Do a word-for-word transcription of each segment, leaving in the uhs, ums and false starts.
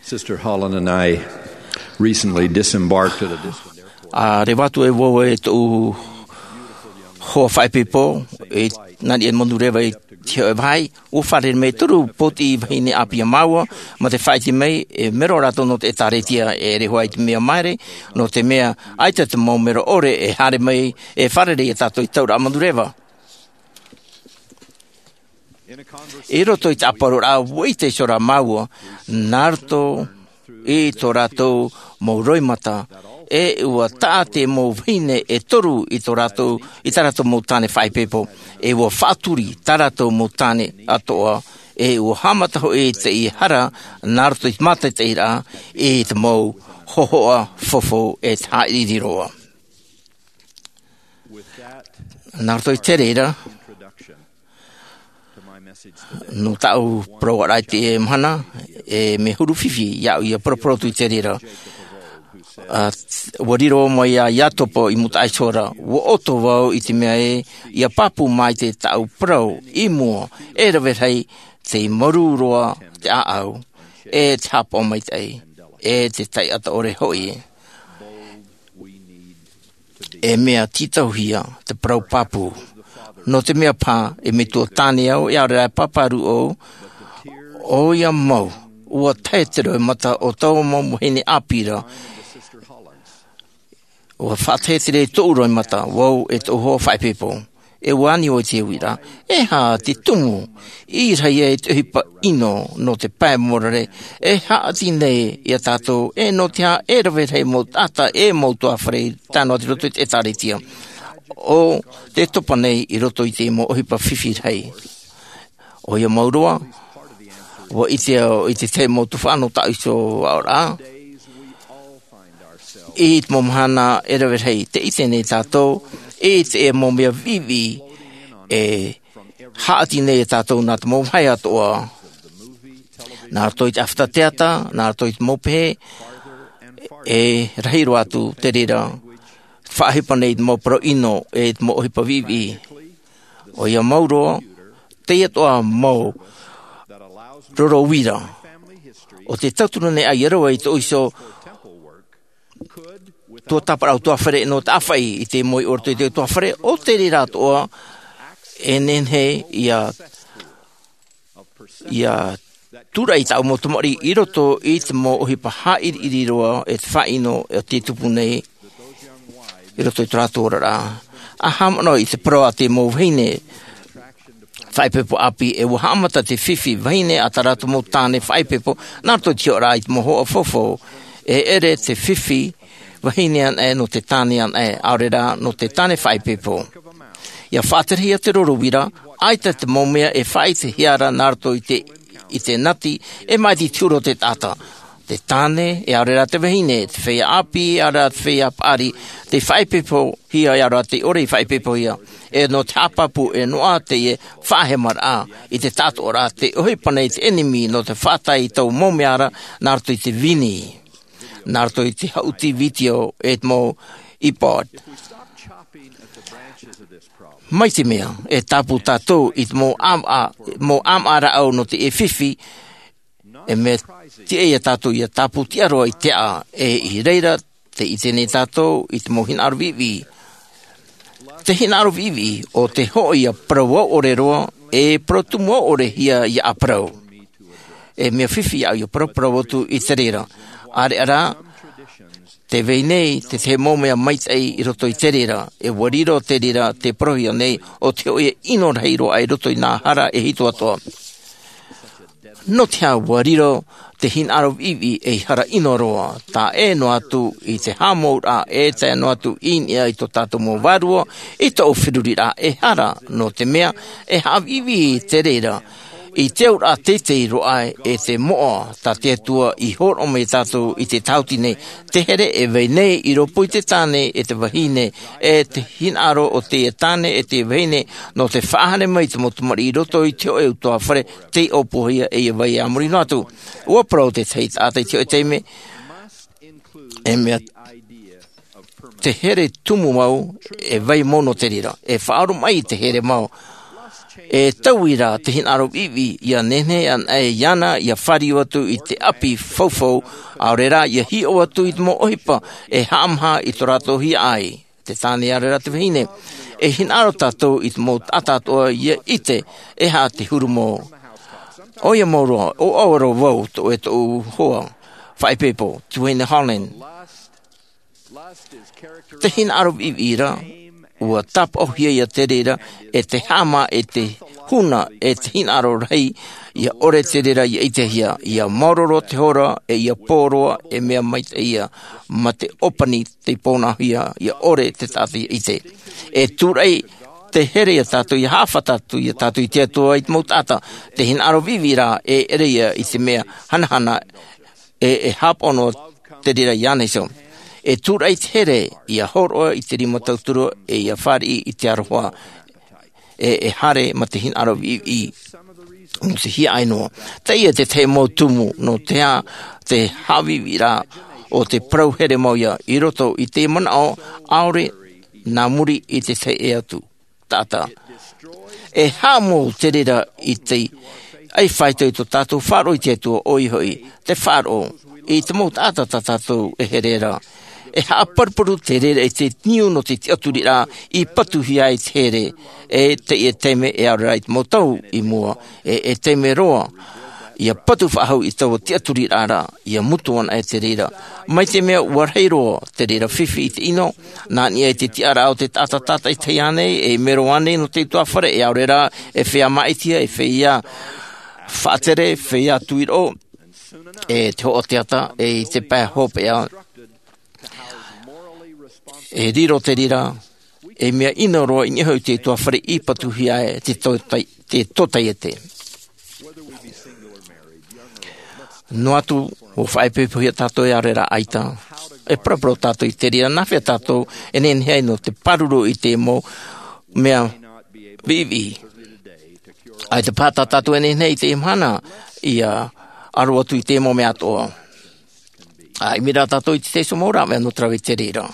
Sister Holland and I recently disembarked at a distant airport. A reva atu e vau e tōʻu hoa faʻaipoipo, e nā niʻa i Manurewa i te hōʻē vāhi, ʻua fārerei mai toru pōtiʻi vahine ʻāpī iā māua, mā te faʻaʻite mai, e mero rātou nō te ʻĒtārētia, e ʻere hoʻi te mea maere, nō te mea, ʻaita te mau mero ʻore, e haere mai, e fārerei iā tātou i te tauraʻa Manurewa. I roto i te ʻāparauraʻa, ʻua ʻite iho ra māua, nā roto i tō rātou mau roimata, e ʻua taʻa te mau vahine e toru i tō rātou, i tā rātou mau tāne faʻaipoipo, e ʻua faʻaturi tā rātou mau tāne atoʻa, e ʻua haʻamata hoʻi teie hara, nā roto i te mātaʻitaʻiraʻa, i te mau hōhoʻa fofo e te haʻiriʻiri roa. Nā roto i te reira, nō tāʻu parauʻaraʻa i teie mahana, e mea huru fifi iāʻu ʻia paraparau atu i te reira. A, ʻua riro mai iā Iakobo i mūtaʻa iho ra, ʻua ʻoto vau i te mea ē, ʻia pāpū maite tāʻu parau i mua, e rave rahi te mārū roa te ʻāʻau, e te haʻapaʻo maitaʻi, e te taʻata ʻore hoʻi. E mea tītauhia te parau pāpū. Nō te mea paha, e metua tāne au, e ʻaore rā e pāpā rū au, ʻoia mau, ʻua tae te roimata o taua mau vahine ʻāpī ra. ʻUa faʻatae te reira i tōʻu roimata, vau e tōʻu hoa faʻaipoipo. E ʻua ani vau i te uiraʻa, e aha te tumu, i reira e te ʻohipa ʻino nō te pae mōrare, e haʻati nei iā tātou, e nō te aha e rave rahi mau taʻata, e mau ʻutuāfare, tae noa atu i roto i te ʻĒtārētia. ʻO te topa nei i roto i te mau ʻohipa fifi rahi. ʻOia mau roa, ʻua ʻite au i te tahi mau tuhaʻa nō tāʻu iho aʻoraʻa. I te mau mahana e rave rahi, tē ʻite nei tātou, i te mau mea viʻiviʻi, e haʻati nei iā tātou nā te mau vāhi atoʻa. Nā roto i te ʻāfata teata, nā roto i te mau pehe, e rahi roa atu te reira, faʻaʻohipa nei i te mau parau ʻino, e te mau ʻohipa viʻiviʻi. ʻOia mau roa, teie atoʻa mau roro uira. ʻO te tauturu nei ʻaita roa i tōʻu iho tuatāpaparaʻa ʻutuāfare nō te ʻāfaʻi i te moʻe i roto i te ʻutuāfare, ʻo te reira atoʻa, e nehenehe ʻia, ʻia tūraʻi tāʻu mau tamariʻi i roto i te mau ʻohipa haʻiriʻiri roa e te faʻaʻino e tē tupu nei i roto i tō rātou oraraʻa. ʻA haʻamanaʻo i te parau a te mau vahine faʻaipoipo ʻāpī, e ʻua haʻamata te fifi vahine a tā rātou mau tāne faʻaipoipo, nā roto i te hiʻoraʻa i te mau hōhoʻa fofo, e ʻere te fifi vahine anaʻe nō te tāne anaʻe, ʻaore rā nō te tāne faʻaipoipo. ʻIa faʻaterehia te roro uira, ʻaita te mau mea e faʻaʻitehia ra nā roto i te, i te nati, e maʻiti i te huru o te taʻata. Te tāne, e ʻaore rā te vahine, te feiā ʻāpī, e ʻaore rā te feiā paʻari, tē faʻaipoipohia, e ʻaore rā tē ʻore i faʻaipoipohia. E nō te haʻapāpū, e noaʻa teie faʻahemaraʻa, i te tāʻatoʻaraʻa, tē ʻohipa nei te ʻenemi nō te faʻatae i taua mau mea ra, nā roto i te vini, nā roto i te haʻuti vitiō, e te mau iPod. Mai te mea, e tāpū tātou i te mau ʻāma-, mau ʻāmaʻa rāʻau nō te fifi, e mea tiʻa ia tātou ʻia tāpū tiʻa roa i te aʻa, e i reira, tē ʻite nei tātou i te mau hinaʻaro viʻiviʻi. Te hinaʻaro viʻiviʻi, ʻo te hōʻē ʻia parau au ʻore roa, e parau tumu au ʻore hia ʻia ʻāparau. E mea fifi iāʻu ʻia paraparau atu i te reira. ʻĀreʻa rā, tē vai nei te tahi mau mea maitaʻi i roto i te reira, e ʻua riro te reira tē parauhia nei ʻo te hōʻē ʻino rahi roa i roto i nā hara e hitu atoʻa. Nō te aha ʻua riro te hinaʻaro viʻiviʻi ei hara ʻino roa, tae noa atu i te haʻamouraʻa, e tae noa atu i niʻa i tō tātou mau vārua, i tō feruriraʻa e hara, nō te mea, e haʻaviʻiviʻi te reira, i te auraʻa teitei roa e te moʻa, tā te Atua i hōroʻa mai tātou i te tāuti nei, te here e vai nei i rōpū i te tāne e te vahine, e te hinaʻaro o te tāne e te vahine, nō te faʻahane mai te mau tamariʻi i roto i te hōʻē ʻutuāfare, tei ʻōpuahia e ia vai a muri noa atu. ʻUa parau te tahi taʻata i te hōʻē taime, e mea te here tumu mau, e vai mau nō te reira, e faʻaoromaʻi te here mau. E taui rā te hinaʻaro viʻiviʻi ia nehenehe ana e iāna ia fāriu atu i te ʻapi faufau, ʻaore rā ia hiʻo atu i te mau ʻohipa e haʻamaha i tō rātou hiaʻai. Te tāne ʻaore rā te vahine. E hinaʻaro tātou i te mau taʻata atoʻa ia ʻite e aha te huru mau. ʻOia mau roa ʻo ʻaua roa vau tō e tōʻu hoa faʻaipoipo, Duane Holland. Te hinaʻaro viʻiviʻi ra ua tāpaʻohia ia te reira e te haʻamā e te huna e te hinaʻaro rahi. Ia ʻore te reira ia ʻitehia ia maoro roa te hora e ia pō roa e mea maitaʻi ia ma te ʻōpani te pōnahia ia ʻore te taʻata ia ʻite. E tūraʻi te here ia tātou ia haʻafata atu ia tātou i te atua i te mau taʻata. Te hinaʻaro viʻiviʻi ra e ʻere ia i te mea hanahana e e hāpaʻo noa te reira iāna iho. E tūraʻi te here ia hōroʻa i te rima tauturu e ia fāriʻi i te aroha e e haere ma te hinaʻaro viʻiviʻi. Nō te hiaʻai noa teie te tahi mau tumu nō te aha te haʻaviʻiviʻi ra o te parau here mau ia i roto i te manaʻo ʻaore nā muri i te tahi e atu taʻata. E haʻamou te reira i te ʻai faito i tō tātou faʻaroʻo i te atua ʻoia hoʻi te faʻaroʻo i te mau taʻata tā tātou e here ra. E haʻaparuparu te reira i te niu nō te tiʻaturiraʻa i patuhia ai te here e teie taime e ʻaore rā i te mau tau i mua e e taime roa ia patu faʻahou i taua tiʻaturiraʻa ra ia mutu ana e te reira. Mai te mea ua rahi roa te reira fifi i te ʻino nā niʻa i te tiʻaraʻa o te taʻata tātaʻitahi ānei e mero ānei nō te utuāfare e ʻaore rā e feiā māʻitiʻa e feiā faʻatere feiā tuiroʻo e te hoʻo teata e i te pae hopeʻa e riro te reira e mea ʻino roa i niʻa hoʻi te utuāfare i patuhia e te tōtai te tōtaiete. Noa atu ua faʻaipoipohia tātou e ʻaore rā ʻaita e paraparau tātou i te reira nā hea tātou e nehenehe ai nō te pāruru i te mau mea viʻiviʻi. ʻAita paha tā tātou e nehenehe i te mahana ia aro atu i te mau mea atoʻa. A ʻimi rā tātou i te taiso mau rāveʻa nō te rave i te reira.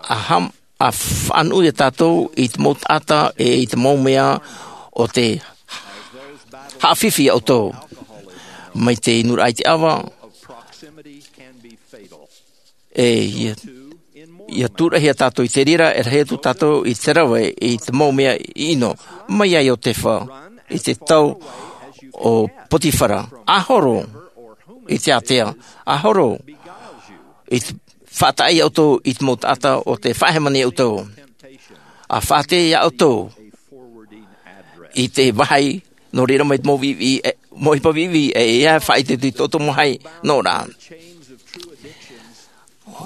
A ham a faʻanuʻu ia tātou i te mau taʻata e i te mau mea o te haʻafifi ia ʻoutou mai te inuraʻa i te ʻava. E ia ia tūraʻihia tātou i te reira e rahi atu tātou i te rave i te mau mea i ʻino mai iā iotefa i te tau o potifara a horo i te ātea a horo i te faʻataʻa iā ʻoutou i te mau taʻata o te faʻahemani iā ʻoutou a faʻatea iā ʻoutou i te vāhi nō reira mai te mau viʻiviʻi mau ʻohipa viʻiviʻi e ia faʻaite atu i tō ʻoutou mau vāhi nō rā.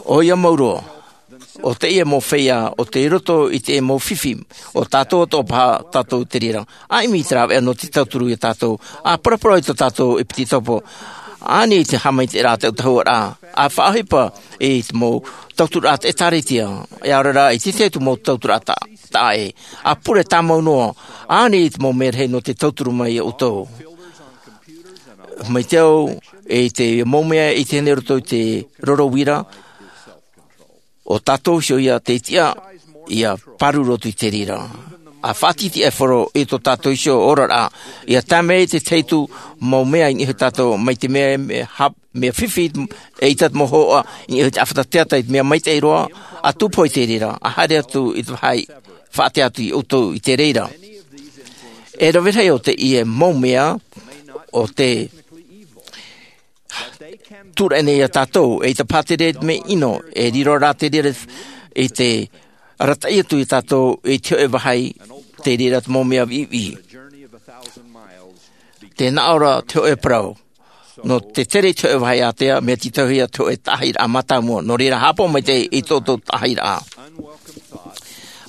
ʻOia mau roa o teie mau feiā o te roto i te mau fifi o tātou atoʻa paha tātou te reira. A ʻimi i te rāveʻa nō te tauturu iā tātou a paraparau i tō tātou ʻepitetopo ʻāni i te haʻamaitaʻiraʻa te ʻautahuaraʻa a faʻaʻohipa i te mau tauturaʻa te ʻēkālesia e ʻaore rā i te tahi atu mau tauturaʻa taʻa ʻē a pure tāmau noa ʻāni i te mau mea rahi nō te tauturu mai iā ʻoutou. Mai te au i te mau mea i teie nei roto i te roro uira o tātou iho ia te tiʻa ia pāruru atu i te reira a faʻatitiʻaifaro i tō tātou iho oraraʻa ia tae mai i te tahi atu mau mea i niʻa iho tātou mai te mea mea fifi e ʻaita te mau hoʻa i niʻa iho te ʻāfata teata i te mea maitaʻi roa a tupu i te reira a haere atu i te vāhi faʻatea atu iā ʻoutou i te reira. E rave rahi o teie mau mea o te tūraʻi nei iā tātou e ʻaita paha te reira te mea ʻino e riro rā te reira i te arataʻi atu iā tātou i te hoʻe vāhi te reira te mau mea viʻiviʻi. Te naʻo ra te hoʻe parau nō te tere i te hoʻe vāhi ātea mea tītauhia te hoʻe taʻahiraʻa mātāmua nō reira haʻapaʻo maitaʻi i tō ʻoutou taʻahiraʻa.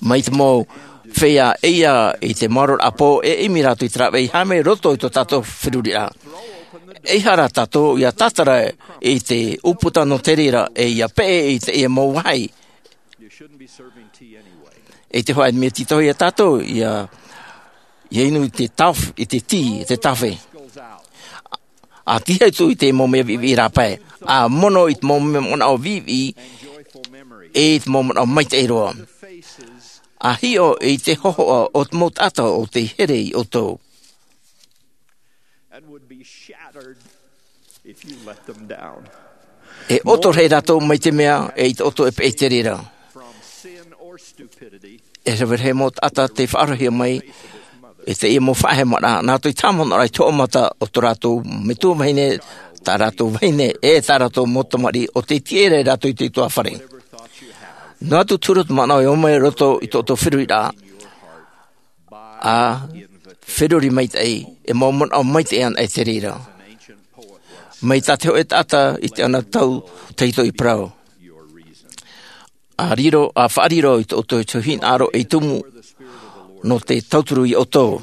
Mai te mau feiā ʻeia i te maororaʻa pō e ʻimi rātou i te rāveʻa i haere mai roto i tō tātou feruriraʻa. Eiaha rā tātou ia tātara i te ʻūputa nō te reira e ia peʻe i teie mau vāhi. I te hoʻe mea tītauhia tātou ia ia inu i te taf i te tī i te tafe. A tiʻa atu i te mau mea viʻiviʻi rāpae a mono i te mau manaʻo viʻiviʻi e i te mau manaʻo maitaʻi roa. A hiʻo i te hōhoʻa o te mau taʻata o tei here iā ʻoutou. And would be shattered if you let them down. E ʻoto rahi rātou mai te mea e ʻite ʻoutou e peʻe i te reira. From sin or stupidity. E rave rahi mau taʻata tei faʻaroʻohia mai i teie mau faʻahemaraʻa nā roto i te haʻamanaʻoraʻa i te hoʻo mata o tō rātou metua vahine, tā rātou vahine e tā rātou mau tamariʻi o tei tiʻa rātou i te utuāfare. Noa atu te huru o te manaʻo e ō mai i roto i tō ʻoutou feruriraʻa, a feruri maitaʻi e mau manaʻo maitaʻi ana e te reira. Mai tā te hōʻē taʻata i te ana tau tahito i parau, a riro a faʻariro i tō ʻoutou hinaʻaro ei tumu nō te tauturu iā ʻoutou.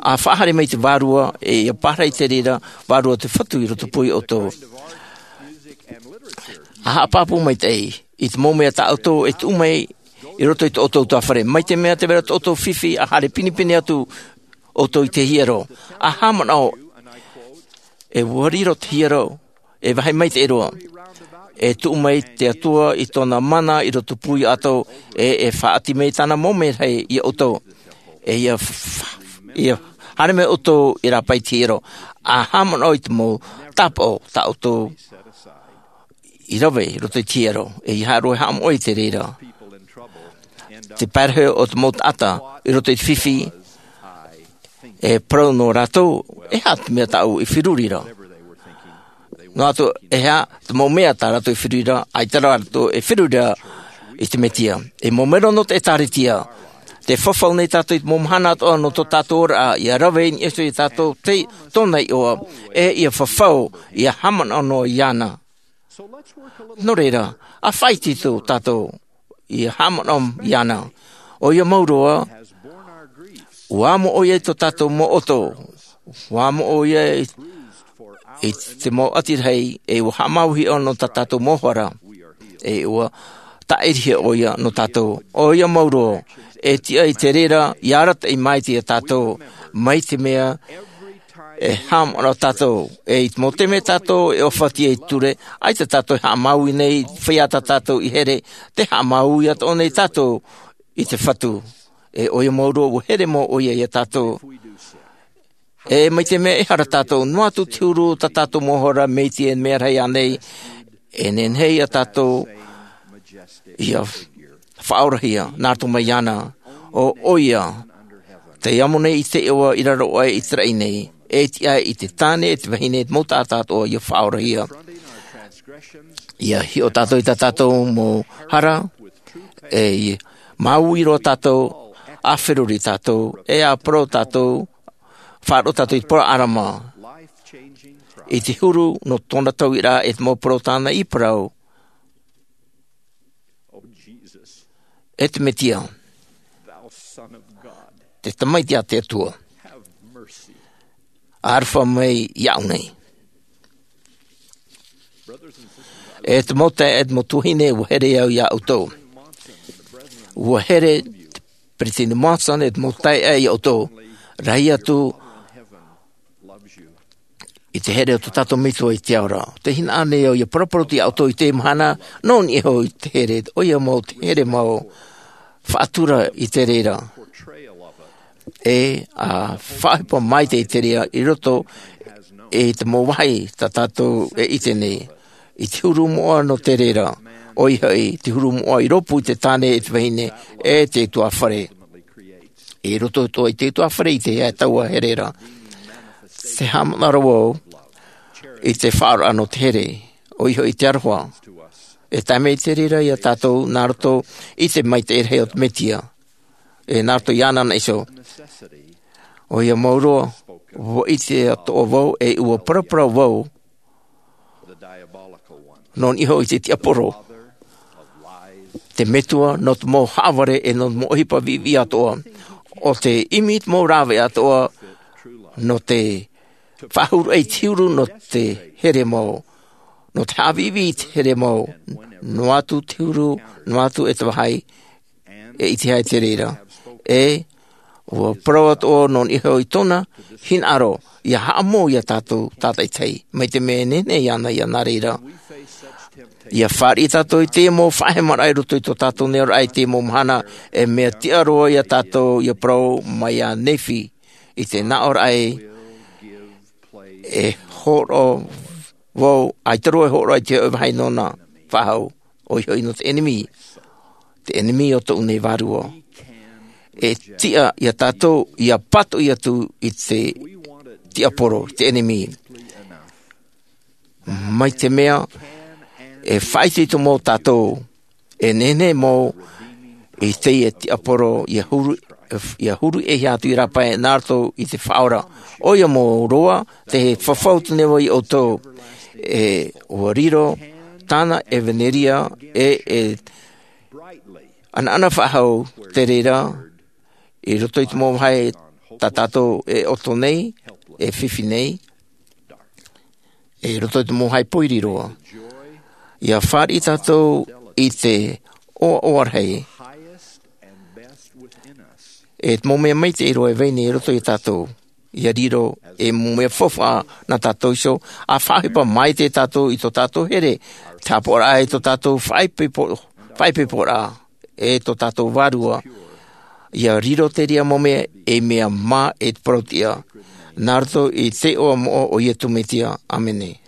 A faʻahaere mai te vārua e ia pārahi i te reira vārua o te fatu i roto pū iā ʻoutou. A haʻapāpū maitaʻi i te mau mea tā ʻoutou e tuʻu mai i roto i tō ʻoutou utuāfare, mai te mea te vera tō ʻoutou fifi a haere pinepine atu ʻoutou i te hiero. A haʻamanaʻo e ua riro te hiero e vāhi maitaʻi roa. E tuʻu mai te Atua i tōna mana i roto pū iā ʻoutou, e e faʻaʻati mai tāna mau merahi iā ʻoutou. E ia haere mai ʻoutou i rāpae i te hiero. A haʻamanaʻo i te mau tāpaʻo tā ʻoutou i rave i roto i te hiero, e ia haere ʻoutou e haʻamoʻe i te reira. Te pārahi o te mau taʻata i roto i te fifi, e parau nō rātou, e aha te mea tāʻu i feruri ra? Noa atu e aha te mau mea tā rātou i feruri ra, ʻaita rā rātou e feruri ra i te Mesia. E mau mero nō te ʻĒtārētia, tē fafau nei tātou i te mau mahana atoʻa nō tō tātou oraraʻa, ia rave i niʻa iho iā tātou tōna iʻoa, e ia fafau, ia haʻamanaʻo noa iāna. Nō reira, a faʻaitoito tātou ia haʻamanaʻo iāna. ʻOia mau roa, ua amo ʻoia i tō tātou mau ʻoto, ua amo ʻoia i te mau ʻati rahi, e ua haʻamāuiui nō tā tātou mau hara, e ua tāʻirihia ʻoia nō tātou. ʻOia mau roa, e tiʻa i te reira ia arataʻi maitaʻi iā tātou, mai te mea e haʻamanaʻo tātou, e i te mau taime tātou e ʻōfaʻi ai i te ture, ʻaita tātou e haʻamāuiui nei, feiā tā tātou i here, tē haʻamāuiui atoʻa nei tātou i te Fatu. E ʻoia mau roa, ua here mau ʻoia iā tātou. E mai te mea e hara tātou, noa atu te huru o tā tātou mau hara, mai te mea rahi ānei, e nehenehe ia tātou ia faʻaorahia nā roto mai iāna. ʻO ʻoia tei amo nei i te iʻoa i raro aʻe i te raʻi nei, e tiʻa i te tāne, e te vahine, e te mau taʻata atoʻa ia faʻaorahia. Ia hiʻo tātou i tā tātou mau hara, e ia māuiui roa tātou, a feruri tātou, e a parau tātou, faʻaroʻo tātou i te parau ʻĀrama, i te huru nō tōna tauiraʻa, e te mau parau tāna i parau. E te Mesia, te Tamaiti a te Atua, ʻaroha mai iāʻu nei. E te mau taeaʻe, e te mau tuahine, ua here au iā ʻoutou. Ua here te Peresideni Monson, e te mau taeaʻe, iā ʻoutou. Rahi atu i te here o tō tātou Metua i te ao ra. Tē hinaʻaro nei au ia paraparau atu iā ʻoutou i teie mahana, nō niʻa iho i te here, ʻoia mau te here mau faʻatura i te reira. E a faʻaʻohipa mai te reira i roto i te mau vāhi tā tātou e ʻite nei. I te huru moʻa nō te reira, ʻoia hoʻi, te huru moʻa i rōpū i te tāne, i te vahine, e te utuāfare. I roto atoʻa i te utuāfare, i te taua here ra. Tē haʻamanaʻo ra vau i te faʻaroʻo nō te here, ʻoia hoʻi te aroha. E tae mai te reira iā tātou, nā roto i te maitaʻi rahi o te Mesia. E nā roto iāna anaʻe iho. ʻOia mau roa, ua ʻite atoʻa vau, e ua paraparau vau, nō niʻa iho i te tiaporo, te metua nō te mau haʻavare, e nō te mau ʻohipa viʻiviʻi atoʻa, ʻo tē ʻimi i te mau rāveʻa atoʻa, nō te faʻahuru i te huru nō te here mau, nō te haʻaviʻiviʻi i te here mau, noa atu te huru, noa atu e te vāhi, e ʻitehia te reira. E ua parau atoʻa nō niʻa iho i tōna hinaʻaro, ia haʻamou iā tātou tātaʻitahi, mai te mea e nehenehe iāna ia nā reira. Ia fāriʻi tātou i te mau faʻahemaraʻa i roto i tō tātou nei ʻoraʻa i te mau mahana. E mea tiʻa roa iā tātou ia parau mai iā Nephi i te nāʻoraʻa e hōroʻa vau, ʻaita roa e hōroʻa i te hoʻi vāhi nōna faʻahou, ʻoia hoʻi nō te ʻenemi, te ʻenemi o tōʻu nei vārua. E tiʻa iā tātou ia pātoʻi atu i te tiaporo, te ʻenemi. Mai te mea e faʻaitoito mau tātou, e nehenehe mau i teie tiaporo ia huru ia huru e hia atu i rāpae nā roto i te faʻaora. ʻOia mau roa te fafau tū nei vau iā ʻoutou, e ua riro tāna ʻevanelia e e ʻanaʻana faʻahou te reira i roto i te mau vāhi tā tātou e ʻoto nei, e fifi nei, i roto i te mau vāhi pōiri roa. Ia fāriʻi tātou i te ʻoaʻoa rahi e te mau mea maitaʻi roa e vai nei i roto iā tātou. Ia riro e mau mea faufaʻa nā tātou iho, a faʻaʻohipa mai te tātou i tō tātou here, te hapaʻoraʻa i tō tātou faʻaipoiporaʻa e tō tātou vārua. Ia riro te reira mau mea ei mea mā e te parauʻtiʻa nā roto i te iʻoa moʻa o iesu mesia, ʻāmene.